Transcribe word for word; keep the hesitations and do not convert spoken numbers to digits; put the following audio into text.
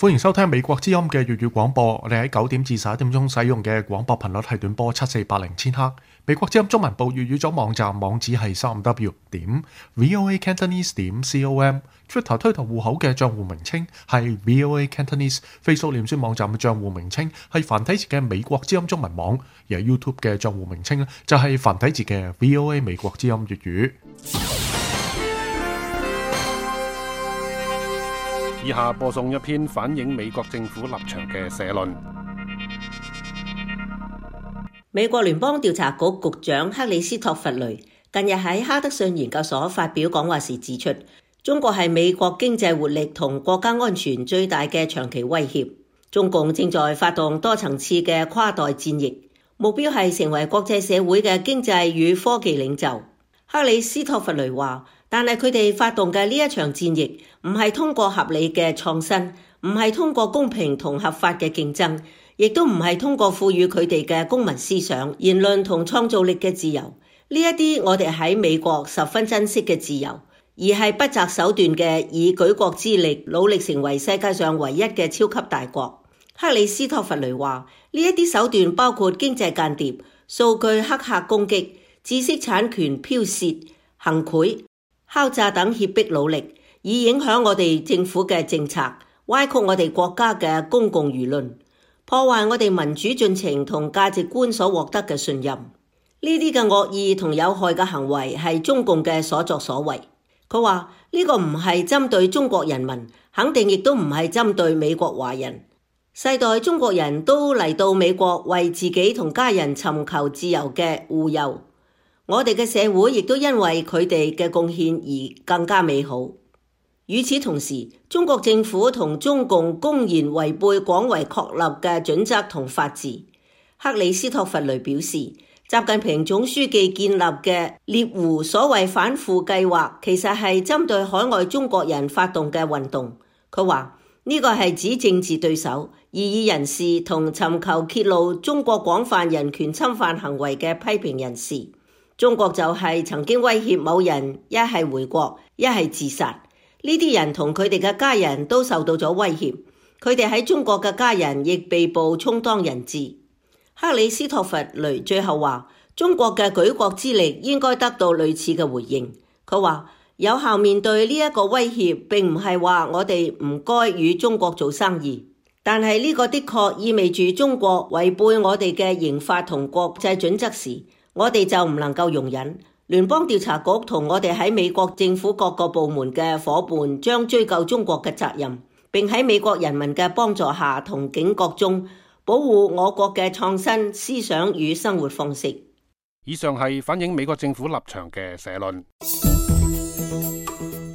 歡迎收聽美國之音嘅粵語廣播。我哋喺九點至十一點鐘使用嘅廣播頻率係短波七四八零千赫。美國之音中文部粵語組網站網址係三 w 點 voa cantonese 點 com。Twitter 推特戶口嘅賬戶名稱係 voa cantonese。Facebook 臉書網站嘅賬戶名稱係繁體字嘅美國之音中文網，而 YouTube 嘅賬戶名稱咧就係繁體字嘅 voa 美國之音粵語。以下播送一篇反映美國政府立場嘅社論。美國聯邦調查局局長克里斯托弗雷近日喺哈德遜研究所發表講話時指出，中國係美國經濟活力同國家安全最大嘅長期威脅。中共正在發動多層次嘅跨代戰役，目標係成為國際社會嘅經濟與科技領袖。克里斯托弗雷話，但係佢哋發動嘅呢一場戰役唔係通過合理嘅創新，唔係通過公平同合法嘅競爭，亦都唔係通過賦予佢哋嘅公民思想、言論同創造力嘅自由，呢一啲我哋喺美國十分珍惜嘅自由，而係不擇手段嘅以舉國之力努力成為世界上唯一嘅超級大國。克里斯托弗雷話，呢一啲手段包括經濟間諜、數據黑客攻擊、知識產權剽竊、行賄、敲詐等脅迫努力，以影響我哋政府嘅政策，歪曲我哋國家嘅公共輿論，破壞我哋民主進程同價值觀所獲得嘅信任。呢啲嘅惡意同有害嘅行為係中共嘅所作所為。佢話呢個唔係針對中國人民，肯定亦都唔係針對美國華人。世代中國人都嚟到美國為自己同家人尋求自由嘅護佑。我哋嘅社會亦都因為佢哋嘅貢獻而更加美好。與此同時，中國政府同中共公然違背廣為確立嘅準則同法治。克里斯托弗雷表示，習近平總書記建立嘅獵狐所謂反腐計劃，其實係針對海外中國人發動嘅運動。佢話呢個係指政治對手、異議人士同尋求揭露中國廣泛人權侵犯行為嘅批評人士。中國就係曾經威脅某人一係回國，一係自殺。呢啲人同佢哋嘅家人都受到咗威脅，佢哋喺中國嘅家人亦被捕充當人質。克里斯托弗雷最後話，中國嘅舉國之力應該得到類似嘅回應。佢話有效面對呢一個威脅，並唔係話我哋唔該與中國做生意，但係呢個的確意味住中國違背我哋嘅刑法同國際準則時，我哋就唔能夠容忍。聯邦調查局同我哋喺美國政府各個部門嘅夥伴將追究中國嘅責任，並喺美國人民嘅幫助下同警覺中保護我國嘅創新思想與生活方式。以上係反映美國政府立場嘅社論。